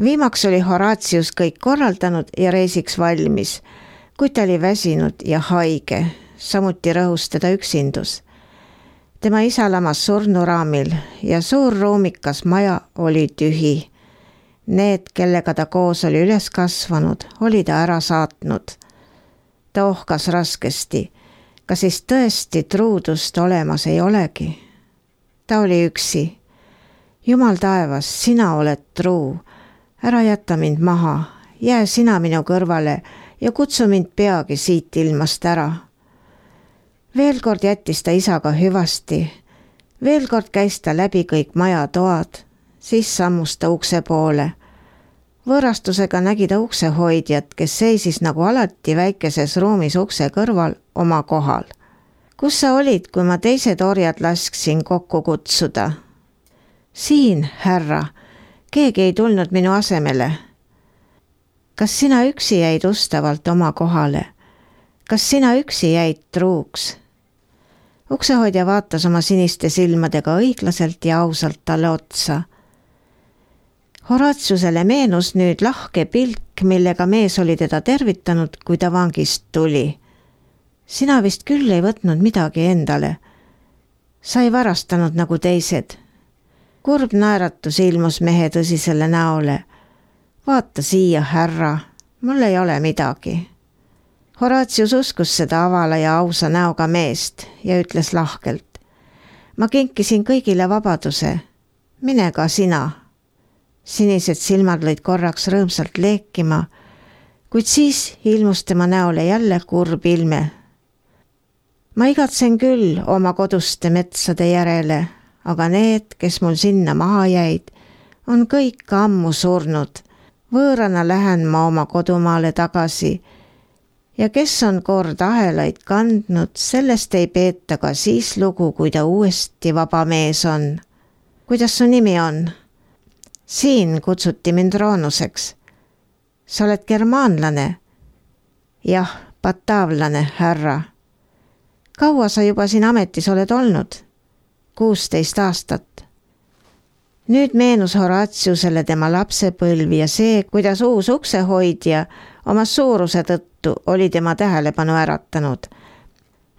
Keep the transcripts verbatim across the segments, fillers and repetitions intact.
Viimaks oli Horatius kõik korraldanud ja reisiks valmis, kuid ta oli väsinud ja haige, samuti rõhus teda üksindus. Tema isa lamas surnuraamil ja suur ruumikas maja oli tühi. Need, kellega ta koos oli üles kasvanud, oli ta ära saatnud. Ta ohkas raskesti, ka siis tõesti truudust olemas ei olegi. Ta oli üksi. Jumal taevas, sina oled truu. Ära jätta mind maha, jää sina minu kõrvale ja kutsu mind peagi siit ilmast ära. Veel kord jättis ta isaga hüvasti. Veel kord käis ta läbi kõik maja toad, siis sammus ta ukse poole. Võõrastusega nägi ta uksehoidjat, kes seisis nagu alati väikeses ruumis ukse kõrval oma kohal. Kus sa olid, kui ma teised orjad lasksin kokku kutsuda? Siin, härra. Keegi ei tulnud minu asemele. Kas sina üksi jäid ustavalt oma kohale? Kas sina üksi jäid truuks? Uksehoidja vaatas oma siniste silmadega õiglaselt ja ausalt talle otsa. Horatiusele meenus nüüd lahke pilk, millega mees oli teda tervitanud, kui ta vangist tuli. Sina vist küll ei võtnud midagi endale. Sa ei varastanud nagu teised. Kurb naeratus ilmus mehe tõsisele näole. Vaata siia, härra, mul ei ole midagi. Horatius uskus seda avala ja ausa näoga meest ja ütles lahkelt. Ma kinkisin kõigile vabaduse. Mine ka sina. Sinised silmad lõid korraks rõõmsalt leekima, kuid siis ilmus tema näole jälle kurb ilme. Ma igatsen küll oma koduste metsade järele, aga need, kes mul sinna maha jäid, on kõik ammu surnud. Võõrana lähen ma oma kodumaale tagasi ja kes on kord ahelaid kandnud, sellest ei peeta ka siis lugu, kui ta uuesti vaba mees on. Kuidas su nimi on? Siin kutsuti mind Roonuseks. Sa oled germaanlane? Jah, bataavlane, härra. Kaua sa juba siin ametis oled olnud? kuusteist aastat. Nüüd meenus Horatiusele tema lapsepõlv ja see, kuidas uus uksehoidja oma suuruse tõttu oli tema tähelepanu äratanud.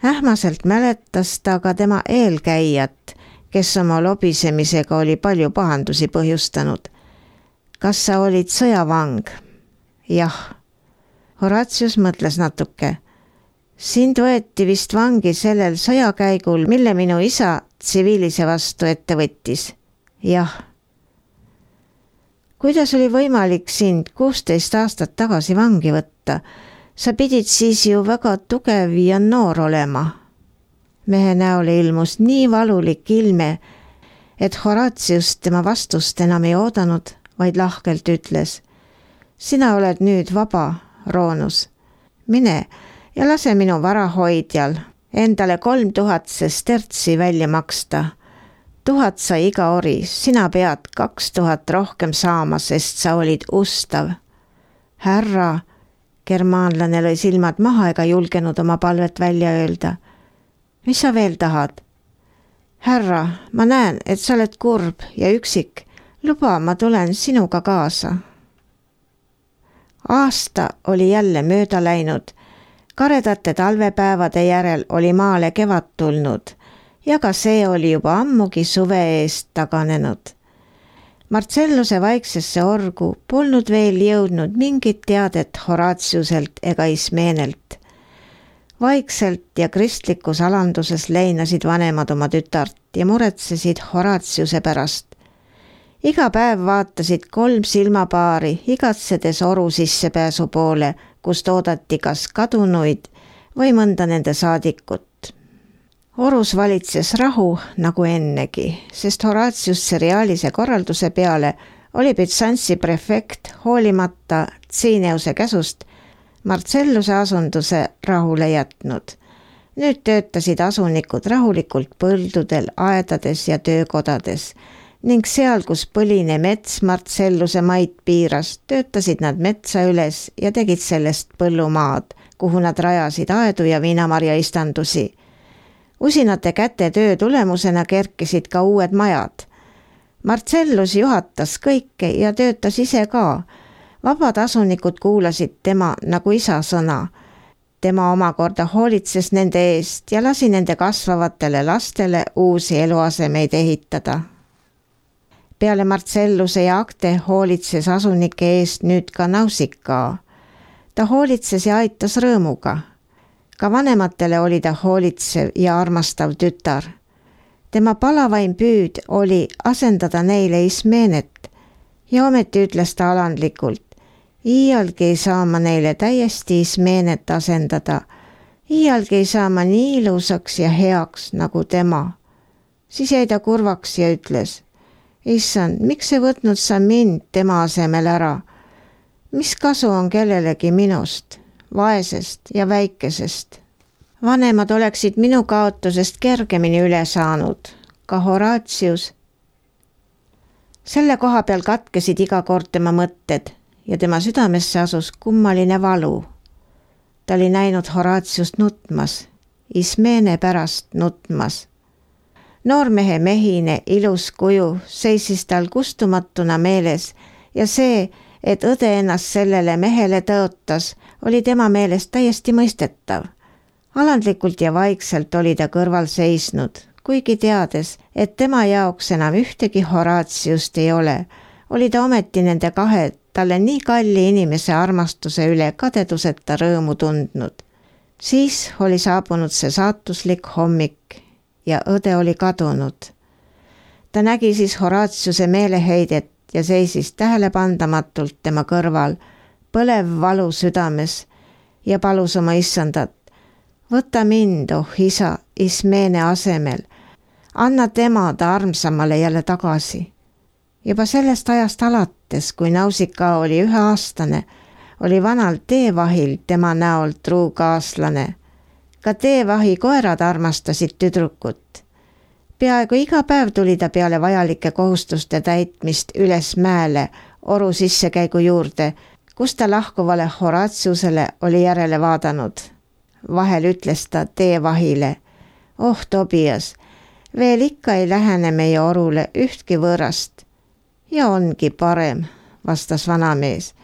Ähmaselt mäletas ta ka tema eelkäijat, kes oma lobisemisega oli palju pahandusi põhjustanud. Kas sa olid sõjavang? Jah. Horatius mõtles natuke. Sind võeti vist vangi sellel sõjakäigul, mille minu isa tsiviilise vastu ette võttis. Jah. Kuidas oli võimalik sind kuusteist aastat tagasi vangi võtta? Sa pidid siis ju väga tugev ja noor olema. Mehe näole ilmus nii valulik ilme, et Horatius tema vastust enam ei oodanud, vaid lahkelt ütles. Sina oled nüüd vaba, Roonus. Mine ja lase minu varahoidjal endale kolm tuhat sestertsi välja maksta. Tuhat sai iga ori, sina pead kaks tuhat rohkem saama, sest sa olid ustav. Härra, germaanlane lõi silmad maha ega julgenud oma palvet välja öelda. Mis sa veel tahad? Härra, ma näen, et sa oled kurb ja üksik. Luba, ma tulen sinuga kaasa. Aasta oli jälle mööda läinud. Karedate talvepäevade järel oli maale kevad tulnud ja ka see oli juba ammugi suve eest taganenud. Marcelluse vaiksesse orgu polnud veel jõudnud mingit teadet Horatiuselt ega Ismeenelt. Vaikselt ja kristlikus alanduses leinasid vanemad oma tütart ja muretsesid Horatiuse pärast. Iga päev vaatasid kolm silmapaari igatsedes oru sissepääsu poole, kust oodati kas kadunuid või mõnda nende saadikut. Orus valitses rahu nagu ennegi, sest Horatius seriaalise korralduse peale oli Byzantsi prefekt hoolimata Tsiineuse käsust Marcelluse asunduse rahule jätnud. Nüüd töötasid asunikud rahulikult põldudel, aedades ja töökodades ning seal, kus põline mets Marcelluse maid piiras, töötasid nad metsa üles ja tegid sellest põllumaad, kuhu nad rajasid aedu ja viinamarja istandusi. Usinate käte töö tulemusena kerkisid ka uued majad. Marcellus juhatas kõike ja töötas ise ka. Vabad asunikud kuulasid tema nagu isa sõna. Tema omakorda hoolitses nende eest ja lasi nende kasvavatele lastele uusi eluasemeid ehitada. Peale Marcelluse ja Acte hoolitses asunike eest nüüd ka Nausicaa. Ta hoolitses ja aitas rõõmuga. Ka vanematele oli ta hoolitsev ja armastav tütar. Tema palavaim püüd oli asendada neile Ismenet ja ometi ütles ta alandlikult: iialgi ei saa ma neile täiesti Ismenet asendada. Iialgi ei saa ma nii ilusaks ja heaks nagu tema. Siis jäi ta kurvaks ja ütles: Issand, miks ei võtnud sa mind tema asemel ära? Mis kasu on kellelegi minust, vaesest ja väikesest? Vanemad oleksid minu kaotusest kergemini üle saanud, ka Horatius. Selle koha peal katkesid iga kord tema mõtted ja tema südamesse asus kummaline valu. Ta oli näinud Horatiust nutmas, Ismene pärast nutmas. Noormehe mehine, ilus kuju seisis tal kustumatuna meeles ja see, et õde ennast sellele mehele tõotas, oli tema meelest täiesti mõistetav. Alandlikult ja vaikselt oli ta kõrval seisnud, kuigi teades, et tema jaoks enam ühtegi Horatiust ei ole, oli ta ometi nende kahe talle nii kalli inimese armastuse üle kadeduseta rõõmu tundnud. Siis oli saabunud see saatuslik hommik ja õde oli kadunud. Ta nägi siis Horatiuse meeleheidet ja seisis tähelepandamatult tema kõrval, põlev valu südames ja palus oma issandat: võta mind, oh isa, Ismene asemel, anna tema ta armsamale jälle tagasi. Juba sellest ajast alates, kui Nausicaa oli üheaastane, oli vanal teevahil tema näol truu kaaslane. Ka teevahi koerad armastasid tüdrukut. Peaaegu iga päev tuli ta peale vajalike kohustuste täitmist üles mäele oru sissekäigu juurde, kus ta lahkuvale Horatiusele oli järele vaadanud. Vahel ütles ta teevahile: oh Tobias, veel ikka ei lähene meie orule ühtki võõrast. Ja ongi parem, vastas vanamees.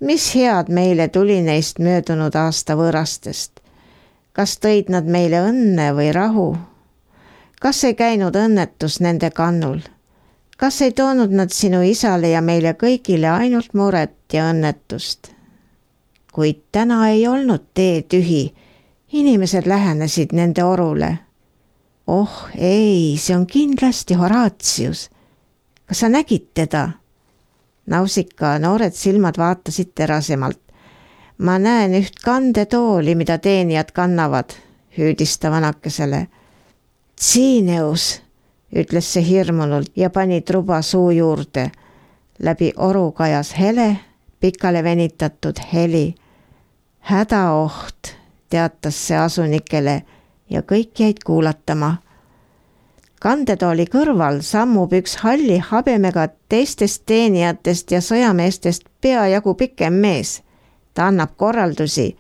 Mis head meile tuli neist möödunud aasta võõrastest? Kas tõid nad meile õnne või rahu? Kas ei käinud õnnetus nende kannul? Kas ei toonud nad sinu isale ja meile kõigile ainult muret ja õnnetust? Kuid täna ei olnud tee tühi. Inimesed lähenesid nende orule. Oh ei, see on kindlasti Horatius. Kas sa nägid teda? Nausicaa noored silmad vaatasid terasemalt. Ma näen üht kandetooli, mida teenijad kannavad, hüüdis ta vanakesele. Tsineus, ütles see hirmunult ja pani truba suu juurde. Läbi oru kajas hele, pikale venitatud heli. Hädaoht, teatas see asunikele ja kõik jäid kuulatama. Kandetooli kõrval sammub üks halli habemega teistest teenijatest ja sõjameestest peajagu pikem mees. Ta annab korraldusi,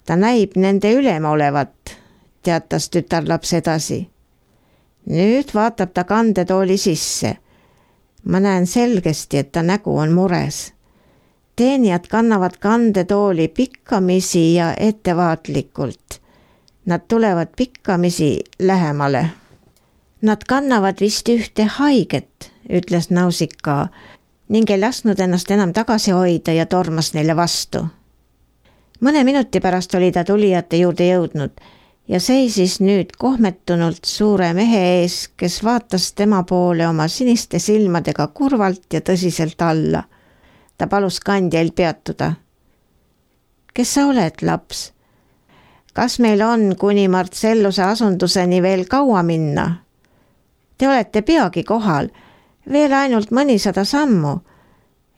ta näib nende ülema olevat, teatas tütarlaps edasi. Nüüd vaatab ta kandetooli sisse. Ma näen selgesti, et ta nägu on mures. Teenijad kannavad kandetooli pikkamisi ja ettevaatlikult. Nad tulevad pikkamisi lähemale. Nad kannavad vist ühte haiget, ütles Nausicaa, ning ei lasknud ennast enam tagasi hoida ja tormas neile vastu. Mõne minuti pärast oli ta tulijate juurde jõudnud ja seisis nüüd kohmetunult suure mehe ees, kes vaatas tema poole oma siniste silmadega kurvalt ja tõsiselt alla. Ta palus kandjail peatuda. Kes sa oled, laps? Kas meil on kuni Marcelluse asunduseni veel kaua minna? Te olete peagi kohal, veel ainult mõnisada sammu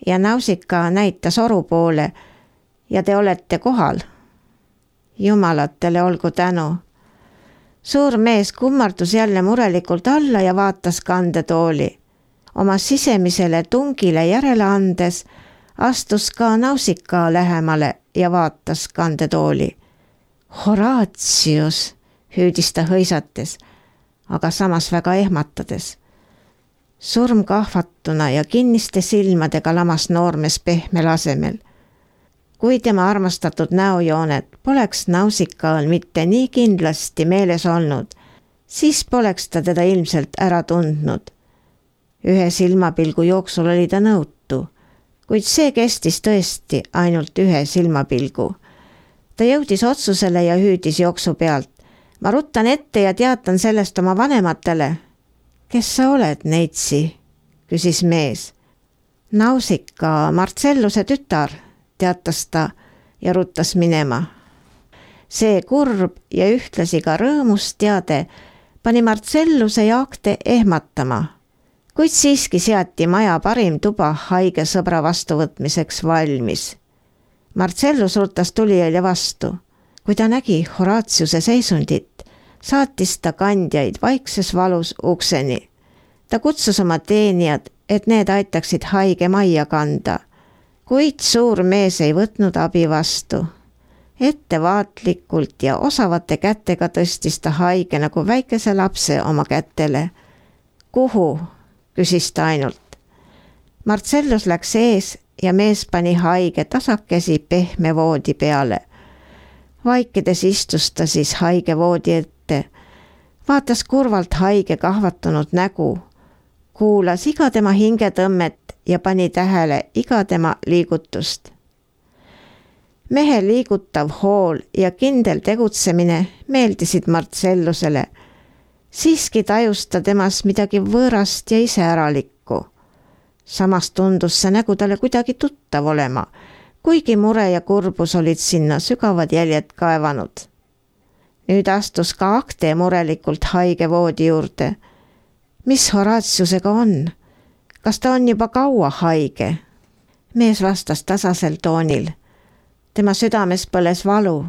ja Nausicaa näitas oru poole ja te olete kohal. Jumalatele olgu tänu. Suur mees kummardus jälle murelikult alla ja vaatas kandetooli. Oma sisemisele tungile järele andes astus ka Nausicaa lähemale ja vaatas kandetooli. Horatius, hüüdis ta hõisates, aga samas väga ehmatades. surm kahvatuna ja kinniste silmadega lamas noormees pehmel asemel. Kui tema armastatud näojoonet poleks Nausikaal mitte nii kindlasti meeles olnud, siis poleks ta teda ilmselt ära tundnud. Ühe silmapilgu jooksul oli ta nõutu, kuid see kestis tõesti ainult ühe silmapilgu. Ta jõudis otsusele ja hüüdis jooksu pealt. Ma ruttan ette ja teatan sellest oma vanematele. Kes sa oled, neitsi? Küsis mees. Nausika, Marcelluse tütar, teatas ta ja ruttas minema. See kurb ja ühtlasi ka rõõmus teade pani Marcelluse ja Acte ehmatama, kuid siiski seati maja parim tuba haige sõbra vastuvõtmiseks valmis. Marcellus ruttas tulijaile vastu. Kui ta nägi Horatiuse seisundit, saatis ta kandjaid vaikses valus ukseni. Ta kutsus oma teenijad, et need aitaksid haige majja kanda, kuid suur mees ei võtnud abi vastu. Ettevaatlikult ja osavate kätega tõstis ta haige nagu väikese lapse oma kätele. Kuhu? Küsis ta ainult. Marcellus läks ees ja mees pani haige tasakesi pehme voodi peale. Vaikides istus ta siis haige voodi ette, vaatas kurvalt haige kahvatunud nägu, kuulas iga tema hingetõmmet ja pani tähele iga tema liigutust. Mehe liigutav hool ja kindel tegutsemine meeldisid Marcellusele. Siiski tajus ta temas midagi võõrast ja iseäralikku. Samas tundus see nägu talle kuidagi tuttav olema, kuigi mure ja kurbus olid sinna sügavad jäljed kaevanud. Nüüd astus ka Acte murelikult haige voodi juurde. Mis Horatiusega on? Kas ta on juba kaua haige? Mees vastas tasasel toonil. Tema südames põles valu.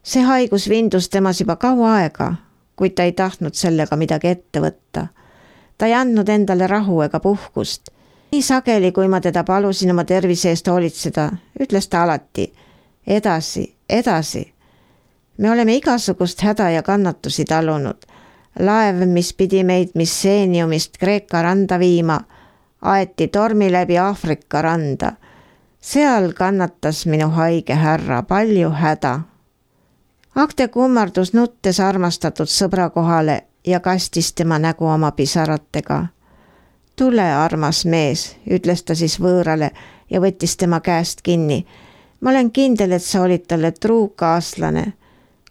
See haigus vindus temas juba kaua aega, kuid ta ei tahtnud sellega midagi ette võtta. Ta ei andnud endale rahu ega puhkust. Nii sageli, kui ma teda palusin oma tervise eest hoolitseda, ütles ta alati, edasi, edasi. Me oleme igasugust häda ja kannatusi talunud. Laev, mis pidi meid Misseeniumist Kreeka randa viima, aeti tormi läbi Aafrika randa. Seal kannatas minu haige härra palju häda. Acte kummardus nuttes armastatud sõbra kohale ja kastis tema nägu oma pisaratega. Tule, armas mees, ütles ta siis võõrale ja võttis tema käest kinni. Ma olen kindel, et sa olid talle truu kaaslane,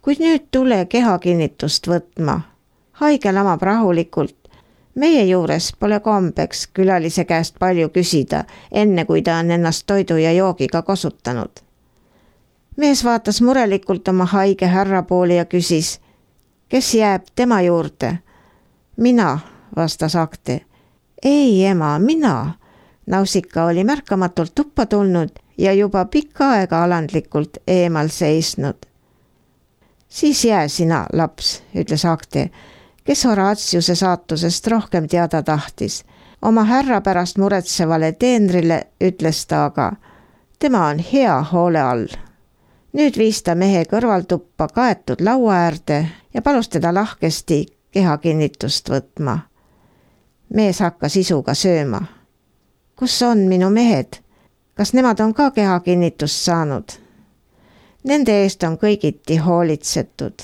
kuid nüüd tule kehakinnitust võtma. Haige lamab rahulikult. Meie juures pole kombeks külalise käest palju küsida, enne kui ta on ennast toidu ja joogiga kosutanud. Mees vaatas murelikult oma haige härra poole ja küsis, kes jääb tema juurde? Mina, vastas Acte. Ei, ema, mina. Nausika oli märkamatult tuppa tulnud ja juba pikka aega alandlikult eemal seisnud. Siis jää sina, laps, ütles Acte, kes Horatiuse saatusest rohkem teada tahtis. Oma härra pärast muretsevale teenrile ütles ta aga, tema on hea hoole all. Nüüd viis ta mehe kõrvaltuppa kaetud laua äärde ja palus teda lahkesti kehakinnitust võtma. Mees hakkas isuga sööma. Kus on minu mehed? Kas nemad on ka kehakinnitust saanud? Nende eest on kõigiti hoolitsetud.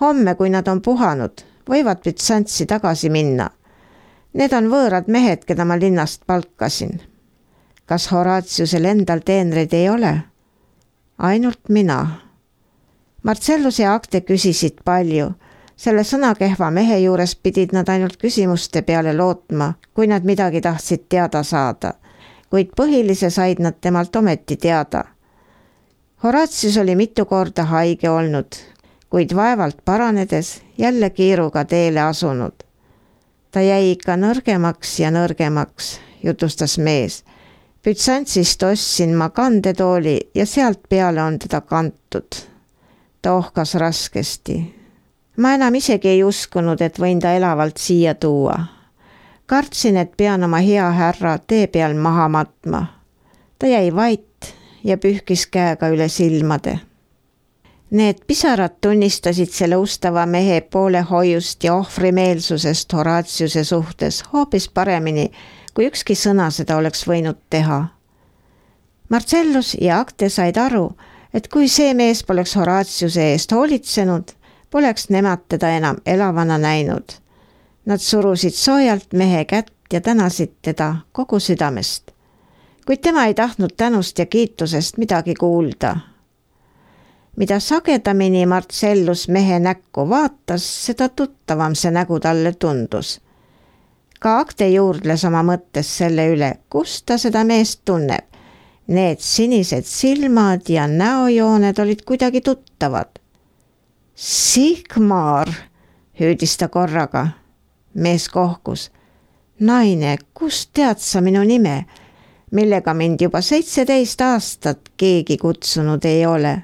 Homme, kui nad on puhanud, võivad Bütsantsi tagasi minna. Need on võõrad mehed, keda ma linnast palkasin. Kas Horatiusel endal teenreid ei ole? Ainult mina. Marcellus ja Acte küsisid palju. Selle sõnakehva mehe juures pidid nad ainult küsimuste peale lootma, kui nad midagi tahtsid teada saada, kuid põhilise said nad temalt ometi teada. Horatius oli mitu korda haige olnud, kuid vaevalt paranedes jälle kiiruga teele asunud. Ta jäi ikka nõrgemaks ja nõrgemaks, jutustas mees. Bütsantsist ostsin ma kandetooli ja sealt peale on teda kantud. Ta ohkas raskesti. Ma enam isegi ei uskunud, et võin ta elavalt siia tuua. Kartsin, et pean oma hea härra tee peal maha matma. Ta jäi vait ja pühkis käega üle silmade. Need pisarad tunnistasid selle ustava mehe poolehoiust ja ohvrimeelsusest Horatiuse suhtes hoopis paremini, kui ükski sõna seda oleks võinud teha. Marcellus ja Acte said aru, et kui see mees poleks Horatiuse eest hoolitsenud, poleks nemad teda enam elavana näinud. Nad surusid soojalt mehe kätt ja tänasid teda kogu südamest. Kuid tema ei tahtnud tänust ja kiitusest midagi kuulda. Mida sagedamini Marcellus mehe näkku vaatas, seda tuttavam see nägu talle tundus. Ka Acte juurdles oma mõttes selle üle, kus ta seda meest tunneb. Need sinised silmad ja näojooned olid kuidagi tuttavad. Sigmar, hüüdis ta korraga. Mees kohkus. Naine, kust tead sa minu nime, millega mind juba seitseteist aastat keegi kutsunud ei ole?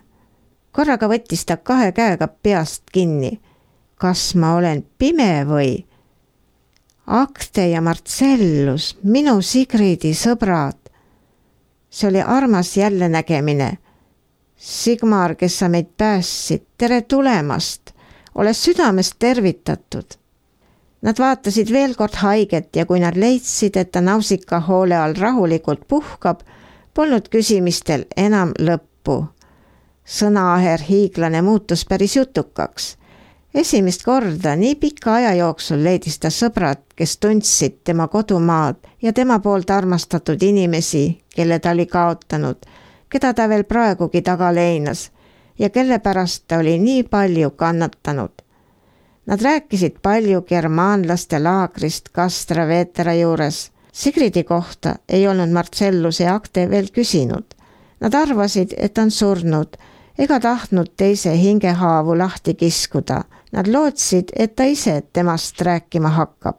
Korraga võttis ta kahe käega peast kinni. Kas ma olen pime või? Acte ja Marcellus, minu Sigridi sõbrad. See oli armas jälle nägemine. Sigmar, kes sa meid päässid, tere tulemast. Ole südamest tervitatud. Nad vaatasid veel kord haiget ja kui nad leidsid, et ta Nausika hoole all rahulikult puhkab, polnud küsimistel enam lõppu. Sõnaaher hiiglane muutus päris jutukaks. Esimest korda nii pika aja jooksul leidis ta sõbrad, kes tundsid tema kodumaad ja tema poolt armastatud inimesi, kelle ta oli kaotanud, keda ta veel praegugi taga leinas ja kelle pärast ta oli nii palju kannatanud. Nad rääkisid palju germaanlaste laagrist Castra Vetera juures. Sigridi kohta ei olnud Marcellus ja Acte veel küsinud. Nad arvasid, et on surnud, ega tahtnud teise hingehaavu lahti kiskuda. Nad lootsid, et ta ise temast rääkima hakkab.